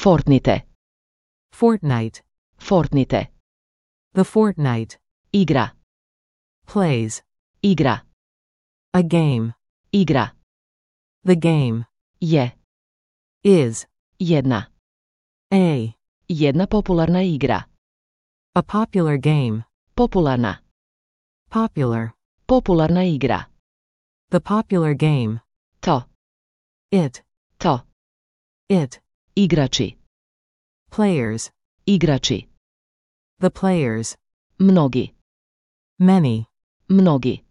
Fortnite. Fortnite. Fortnite. The fortnight. Igra. Plays. Igra. A game. Igra. The game. Je. Is. Jedna. A. Jedna popularna igra. A popular game. Popularna. Popular. Popularna igra. The popular game. To. It. To. It. Igrači. Players. Igrači. The players. Mnogi. Many. Mnogi.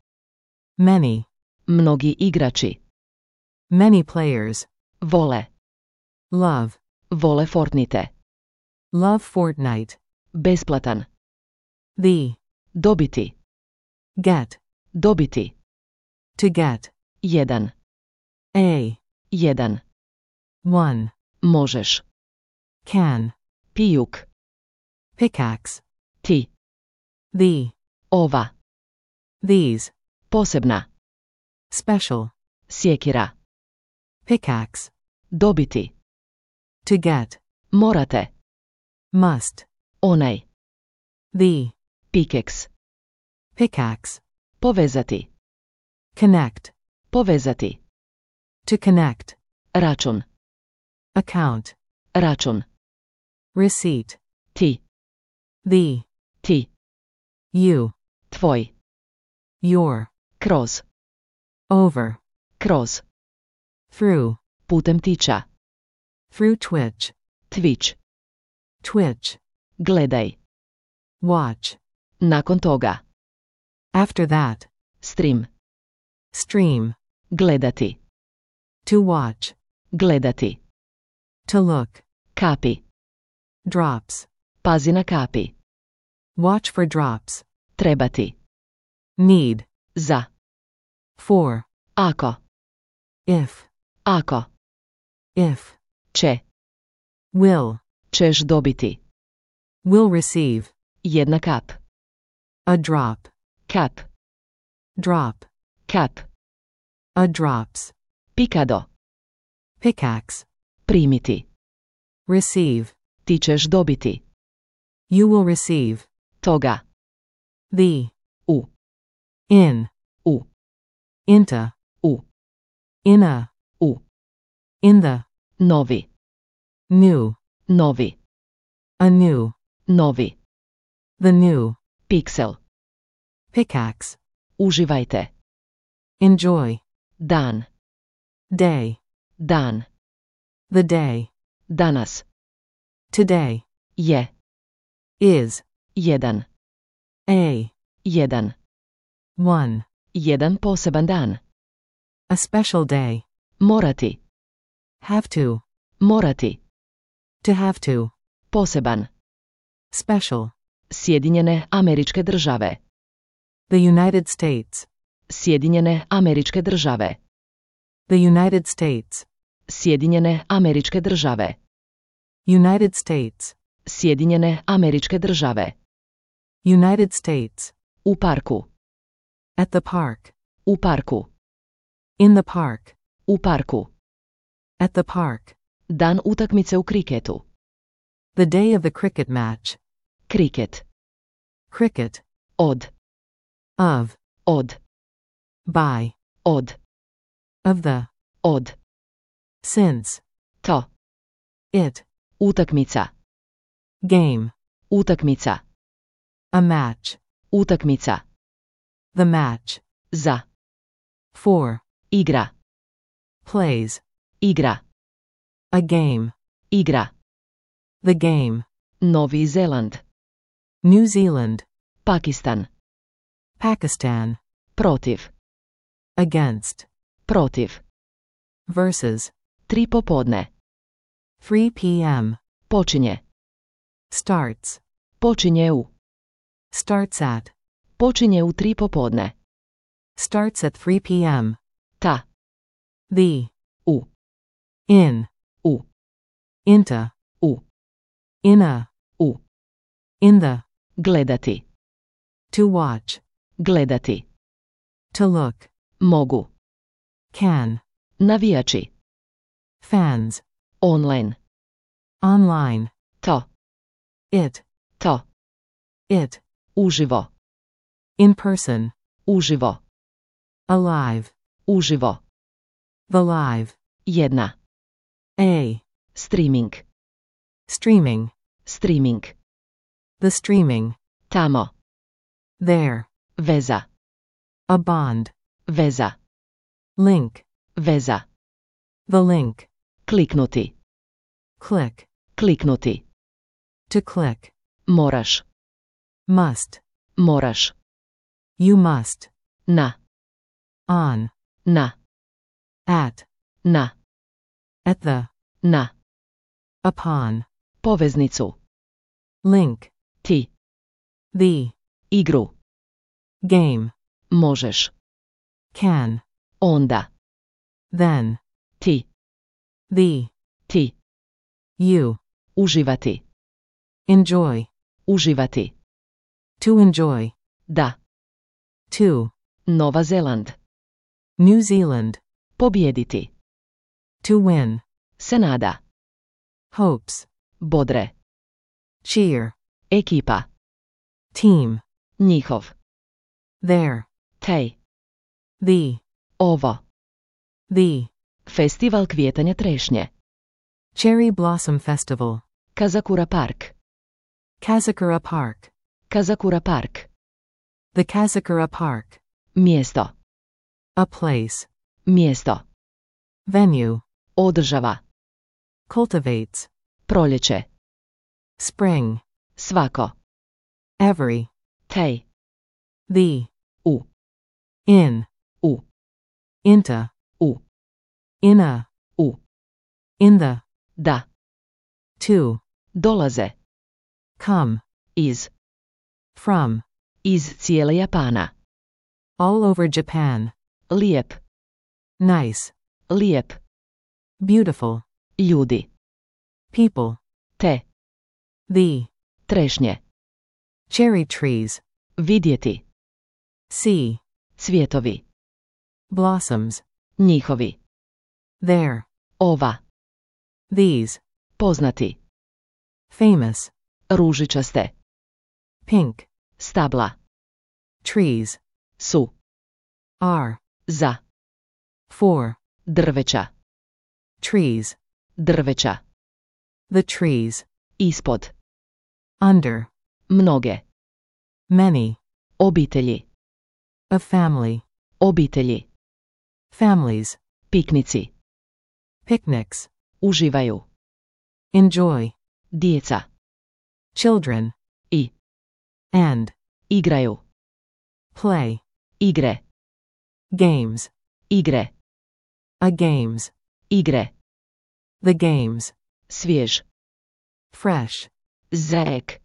Many. Mnogi igrači. Many players. Vole. Love. Vole Fortnite. Love Fortnite. Besplatan. The. Dobiti. Get. Dobiti. To get. Jedan. A. Jedan. One. Možeš. Can. Pijuk. Pickaxe. Ti. The. Ova. These. Posebna. Special. Sjekira. Pickaxe. Dobiti. To get. Morate. Must. Onaj. The. Pikeks. Pickaxe. Povezati. Connect. Povezati. To connect. Račun. Account. Račun. Receipt. Ti. The. Ti. You. Tvoj. Your. Kroz. Over. Kroz. Through. Putem tiča. Through Twitch. Twitch. Twitch. Gledaj. Watch. Nakon toga. After that. Stream. Stream. Gledati. To watch. Gledati. To look. Kapi. Drops. Pazi na kapi. Watch for drops. Trebati. Need. Za. For. Ako. If. Ako. If. Će. Will. Ćeš dobiti. Will receive. Jedna kap. A drop. Kap. Drop. Kap. A drops. Pikado. Pickaxe. Primiti. Receive. Ti ćeš dobiti. You will receive. Toga. The. U. In. U. Into. U. In a. U. In the. Novi. New. Novi. A new. Novi. The new. Piksel. Pickaxe. Uživajte. Enjoy. Dan. Day. Dan. The day. Danas. Today. Je. Is. Jedan. A. Jedan. One. Jedan poseban dan. A special day. Morati. Have to. Morati. To have to. Poseban. Special. Sjedinjene Američke Države. The United States. Sjedinjene Američke Države. The United States. Sjedinjene Američke Države. United States. Sjedinjene Američke Države. United States. U parku. At the park. U parku. In the park. U parku. At the park. Dan utakmice u kriketu. The day of the cricket match. Kriket. Cricket. Od. Of. Od. By. Od. Of the. Od. Since. To. It. Utakmica. Game. Utakmica. A match. Utakmica. The match. Za. For. Igra. Plays. Igra. A game. Igra. The game. Novi Zeland. New Zealand. Pakistan. Pakistan. Protiv. Against. Protiv. Versus. 3 popodne. 3 p.m. Počinje. Starts. Počinje u. Starts at. Počinje u 3 popodne. Starts at 3 p.m. Ta. The. U. In. U. Into. U. In a. U. In the. Gledati. To watch. Gledati. To look. Mogu. Can. Navijači. Fans. Online. Online. To. It. To. It. Uživo. In person. Uživo. Alive. Uživo. The live. Jedna. A. Streaming. Streaming. Streaming. The streaming. Tamo. There. Veza. A bond. Veza. Link. Veza. The link. Kliknuti. Click. Kliknuti. To click. Moraš. Must. Moraš. You must. Na. On. Na. At. Na. At the. Na. Upon. Poveznicu. Link. Ti. The. Igru. Game. Možeš. Can. Onda. Then. Ti. The. Ti. You. Uživati. Enjoy. Uživati. To enjoy. Da. To. Nova Zeland. New Zealand. Pobijediti. To win. Se nada. Hopes. Bodre. Cheer. Ekipa. Team. Njihov. There. Tej. The. Ovo. The. Festival kvijetanja trešnje. Cherry Blossom Festival. Kazakura Park. Kazakura Park. Kazakura Park. The Kazakura Park. Mjesto. A place. Mjesto. Venue. Održava. Cultivates. Proljeće. Spring. Svako. Every. Tej. The. U. In. U. Into. U. In a. U. In the. Da. To. Dolaze. Come. Iz. From. Iz cijele Japana. All over Japan. Lijep. Nice. Lijep. Beautiful. Ljudi. People. Te. The. Trešnje. Cherry trees. Vidjeti. See. Cvjetovi. Blossoms. Njihovi. There. Ova. These. Poznati. Famous. Ružičaste. Pink. Stabla. Trees. Su. Are. Za. For. Drveća. Trees. Drveća. The trees. Ispod. Under. Mnoge. Many. Obitelji. A family. Obitelji. Families. Piknici. Picnics. Uživaju. Enjoy. Djeca. Children. I. And. Igraju. Play. Igre. Games. Igre. A games. Igre. The games. Svjež. Fresh. Zek.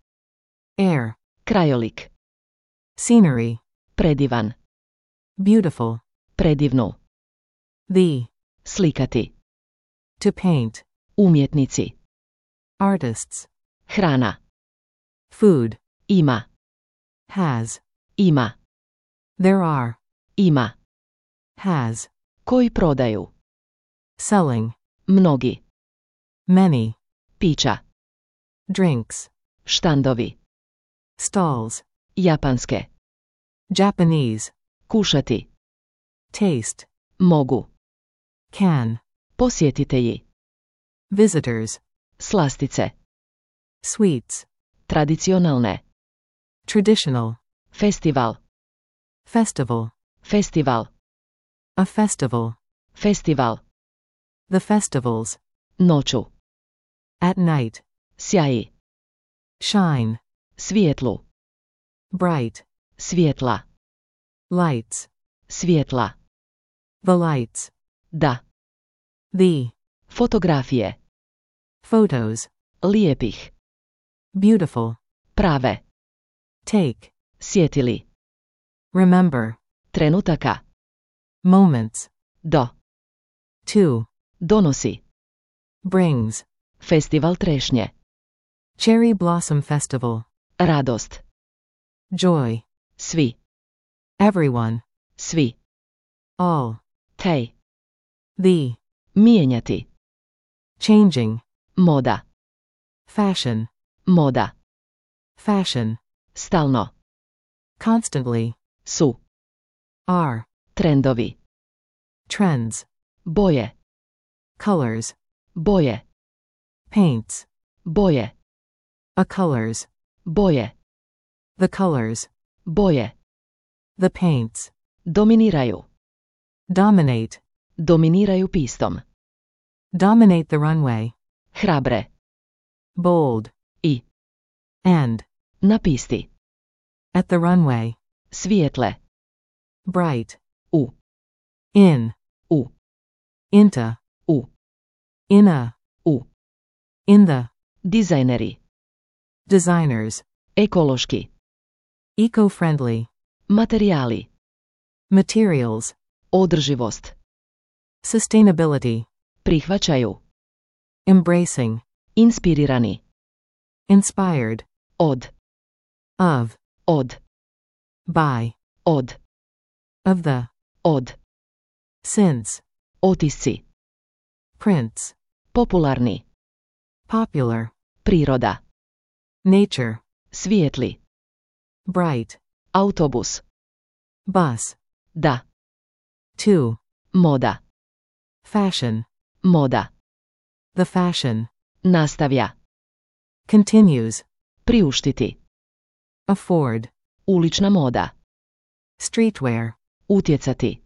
Air. Krajolik. Scenery. Predivan. Beautiful. Predivnu. The. Slikati. To paint. Umjetnici. Artists. Hrana. Food. Ima. Has. Ima. There are. Ima. Has. Koji prodaju. Selling. Mnogi. Many. Pića. Drinks. Štandovi. Stalls. Japanske. Japanese. Kušati. Taste. Mogu. Can. Posjetitelji. Visitors. Slastice. Sweets. Tradicionalne. Traditional. Festival. Festival. Festival. A festival. Festival. The festivals. Noću. At night. Sjaji. Shine. Svijetlu. Bright. Svjetla. Lights. Svjetla. The lights. Da. The. Fotografije. Photos. Lijepih. Beautiful. Prave. Take. Sjetili. Remember. Trenutaka. Moments. Do. To. Donosi. Brings. Festival trešnje. Cherry Blossom Festival. Radost. Joy. Svi. Everyone. Svi. All. Tej. The. Mijenjati. Changing. Moda. Fashion. Moda. Fashion. Stalno. Constantly. Su. Are. Trendovi. Trends. Boje. Colors. Boje. Paints. Boje. A colors. Boje. The colors. Boje. The paints. Dominiraju. Dominate. Dominiraju pistom. Dominate the runway. Hrabre. Bold. I. And. Na pisti. At the runway. Svijetle. Bright. U. In. U. Into. U. In a. U. In the. Dizajneri. Designers. Ekološki. Eco-friendly. Materijali. Materials. Održivost. Sustainability. Prihvaćaju. Embracing. Inspirirani. Inspired. Od. Of. Od. By. Od. Of the. Od. Since. Otisci. Prints. Popularni. Popular. Priroda. Nature. Svijetli. Bright. Autobus. Bus. Da. To. Moda. Fashion. Moda. The fashion. Nastavlja. Continues. Priuštiti. Afford. Ulična moda. Streetwear. Utjecati.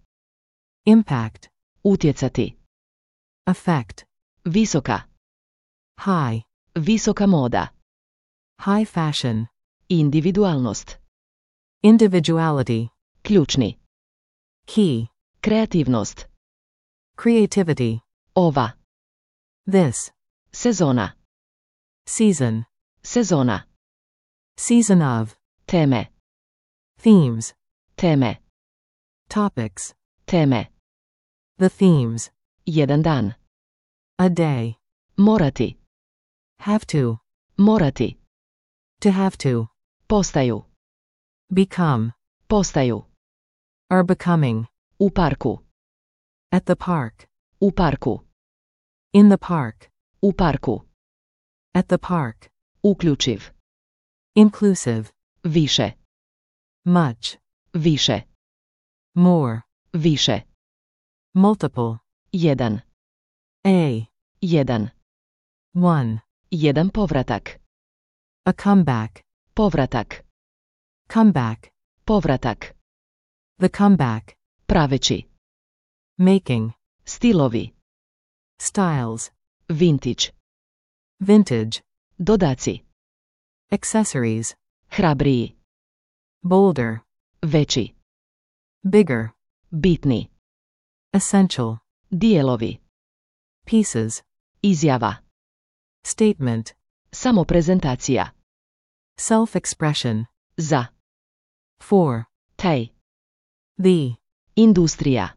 Impact. Utjecati. Effect. Visoka. High. Visoka moda. High fashion. Individualnost. Individuality. Ključni. Key. Kreativnost. Creativity. Ova. This. Sezona. Season. Sezona. Season of. Teme. Themes. Teme. Topics. Teme. The themes. Jedan dan. A day. Morati. Have to. Morati. To have to. Postaju. Become. Postaju. Are becoming. U parku. At the park. U parku. In the park. U parku. At the park. Uključiv. Inclusive. Više. Much. Više. More. Više. Multiple. Jedan. A. Jedan. One. Jedan povratak. A comeback. Povratak. Comeback. Povratak. The comeback. Praveći. Making. Stilovi. Styles. Vintage. Vintage. Dodaci. Accessories. Hrabriji. Bolder. Veći. Bigger. Bitni. Essential. Dijelovi. Pieces. Izjava. Statement. Samoprezentacija. Self-expression. Za. For. Taj. The. Industrija.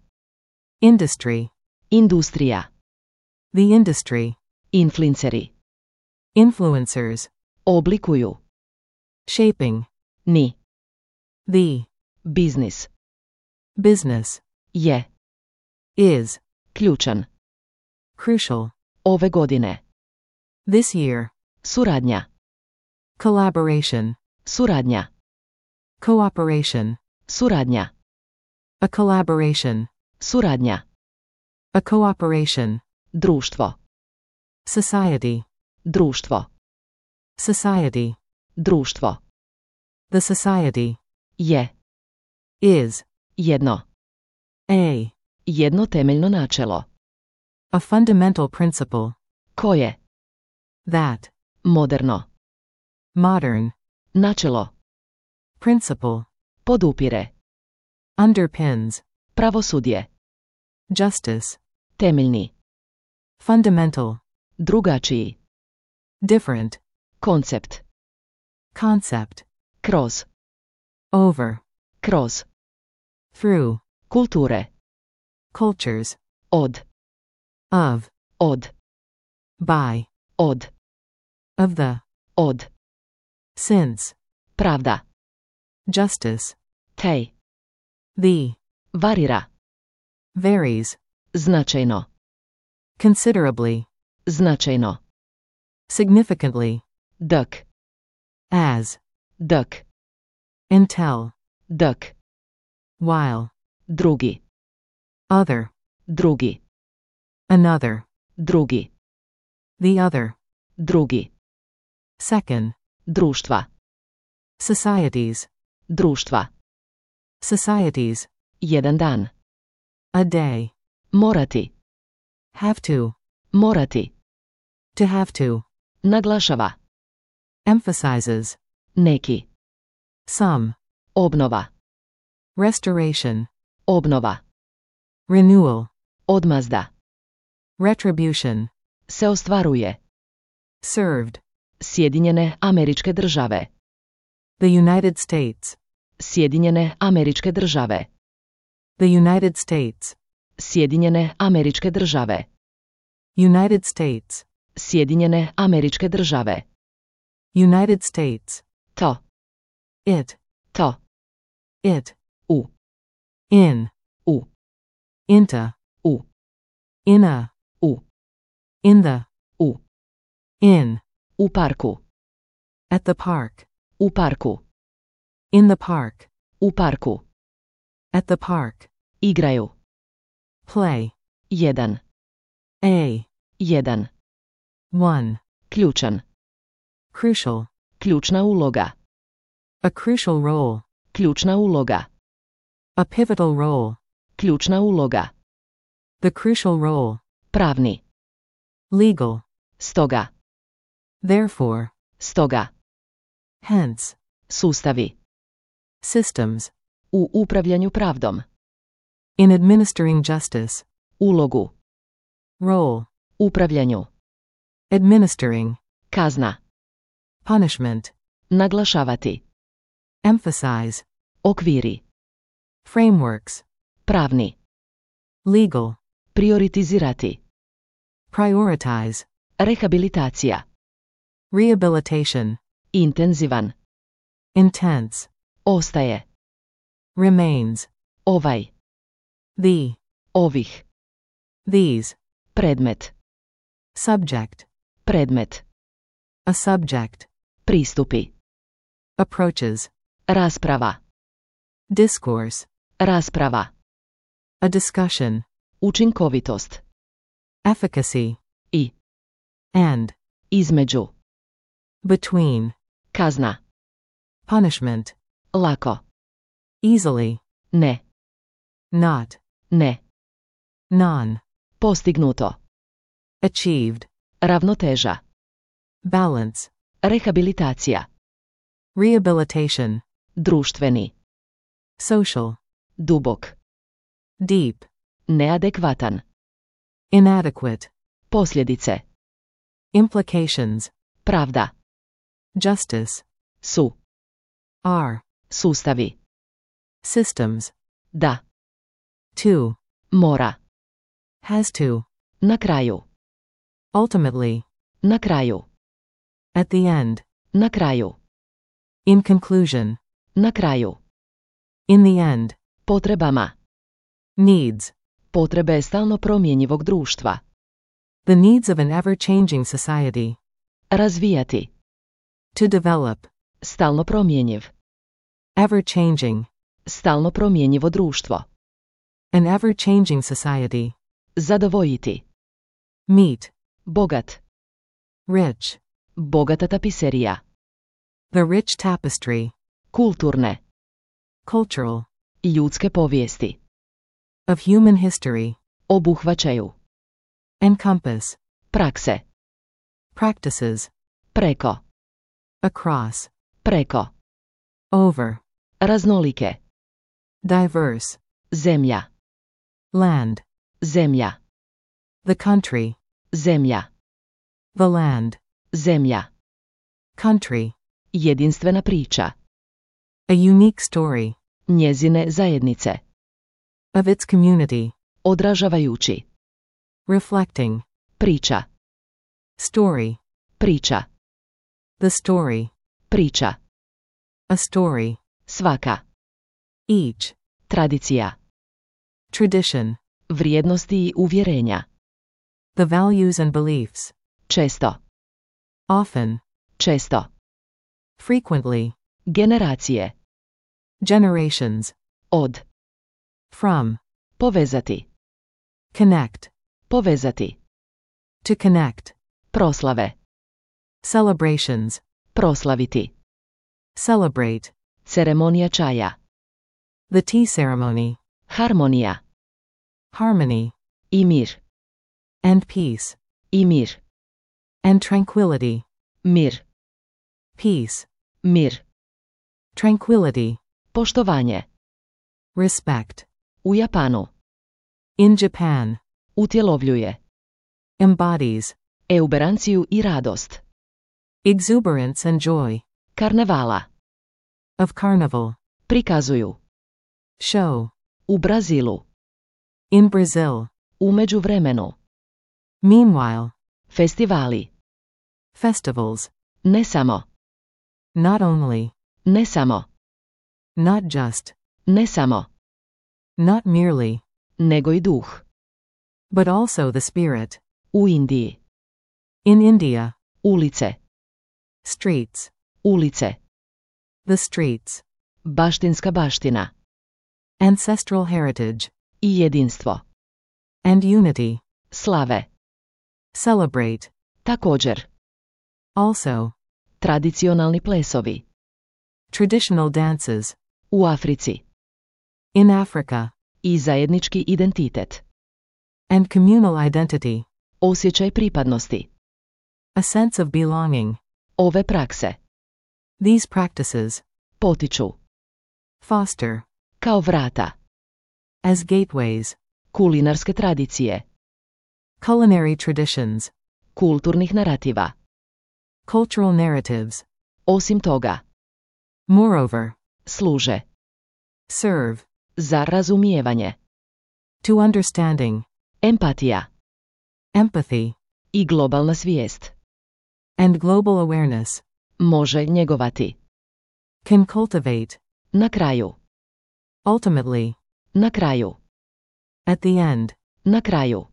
Industry. Industrija. The industry. Influenceri. Influencers. Oblikuju. Shaping. Ni. The. Biznis. Business. Je. Is. Ključan. Crucial. Ove godine. This year. Suradnja. Collaboration. Suradnja. Cooperation. Suradnja. A collaboration. Suradnja. A cooperation. Društvo. Society. Društvo. Society. Društvo. The society. Je. Is. Jedno. A. Jedno temeljno načelo. A fundamental principle. Koje? That. Moderno. Modern. Načelo. Principle. Podupire. Underpins. Pravosudje. Justice. Temeljni. Fundamental. Drugačiji. Different. Koncept. Concept. Kroz. Over. Kroz. Through. Kulture. Cultures. Od. Of. Od. By. Od. Of the. Od. Since. Pravda. Justice. Tej. The. Varira. Varies. Značajno. Considerably. Značajno. significantly, dok, as, dok, until, dok, while, drugi, other, drugi, another, drugi, the other, drugi, second, društva, societies, društva, societies, jedan dan, a day, morati, have to have to, naglašava, emphasizes, neki, some, obnova, restoration, obnova, renewal, odmazda, retribution, se ostvaruje, served, Sjedinjene Američke Države, the United States, Sjedinjene Američke Države, the United States, Sjedinjene Američke Države, United States, Sjedinjene Američke Države, United States, to, it, it, u, in, u, into, u, in a, u, in the, u, in, u parku, at the park, u parku, in the park, u parku, at the park, igraju, play, jedan, a, one, ključan, crucial, ključna uloga, a crucial role, ključna uloga, a pivotal role, ključna uloga, the crucial role, pravni, legal, stoga, therefore, stoga, hence, sustavi, systems, u upravljanju pravdom, in administering justice, ulogu, role, upravljanju, administering, kazna, punishment, naglašavati, emphasize, okviri, frameworks, pravni, legal, prioritizirati, prioritize, rehabilitacija, rehabilitation, intenzivan, intense, ostaje, remains, ovaj, the, ovih, these, predmet, subject, predmet, a subject, pristupi, approaches, rasprava, discourse, rasprava, a discussion, učinkovitost, efficacy, i, and, između, between, kazna, punishment, lako, easily, ne, not, ne, non, postignuto, achieved, ravnoteža, balance, rehabilitacija, rehabilitation, društveni, social, dubok, deep, neadekvatan, inadequate, posljedice, implications, pravda, justice, su, are, sustavi, systems, da, to, mora, has to, na kraju, ultimately, na kraju, at the end, na kraju, in conclusion, na kraju, in the end, potrebama, needs, potrebe stalno promjenjivog društva, the needs of an ever-changing society, razvijati, to develop, stalno promjenjiv, ever-changing, stalno promjenjivo društvo, an ever-changing society, zadovoljiti, meet, bogat, rich, bogata tapiserija, the rich tapestry, kulturne, cultural, ljudske povijesti, of human history, obuhvaćaju, encompass, prakse, practices, preko, across, preko, over, raznolike, diverse, zemlja, land, zemlja, the country, zemlja, the land, zemlja, country, jedinstvena priča, a unique story, njezine zajednice, of its community, odražavajući, reflecting, priča, story, priča, the story, priča, a story, svaka, each, tradicija, tradition, vrijednosti i uvjerenja, the values and beliefs, često, often, često, frequently, generacije, generations, od, from, povezati, connect, povezati, to connect, proslave, celebrations, proslaviti, celebrate, ceremonija čaja, the tea ceremony, harmonija, harmony, i mir, and peace, i mir, and tranquility, mir, peace, mir, tranquility, poštovanje, respect, u Japanu, in Japan, utjelovljuje, embodies, euberanciju i radost, exuberance and joy, karnevala, of carnival, prikazuju, show, u Brazilu, in Brazil, u međuvremenu, meanwhile, festivali, festivals, ne samo, not only, ne samo, not just, ne samo, not merely, nego i duh, but also the spirit, u Indiji, in India, ulice, streets, ulice, the streets, baštinska baština, ancestral heritage, i jedinstvo, and unity, slave, celebrate, također, also, tradicionalni plesovi, traditional dances, u Africi, in Africa, i zajednički identitet, and communal identity, osjećaj pripadnosti, a sense of belonging, ove prakse, these practices, potiču, foster, kao vrata, as gateways, kulinarske tradicije, culinary traditions, kulturnih narativa, cultural narratives, osim toga, moreover, služe, serve, za razumijevanje, to understanding, empatija, empathy, i globalna svijest, and global awareness, može njegovati, can cultivate, na kraju, ultimately, na kraju, at the end, na kraju,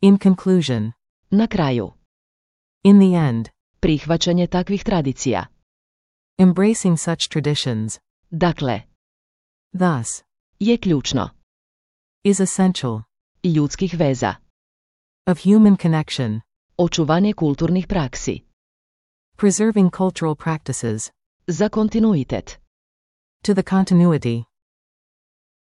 in conclusion, na kraju, in the end, prihvaćanje takvih tradicija, embracing such traditions, dakle, thus, je ključno, is essential, ljudskih veza, of human connection, očuvanje kulturnih praksi, preserving cultural practices, za kontinuitet, to the continuity,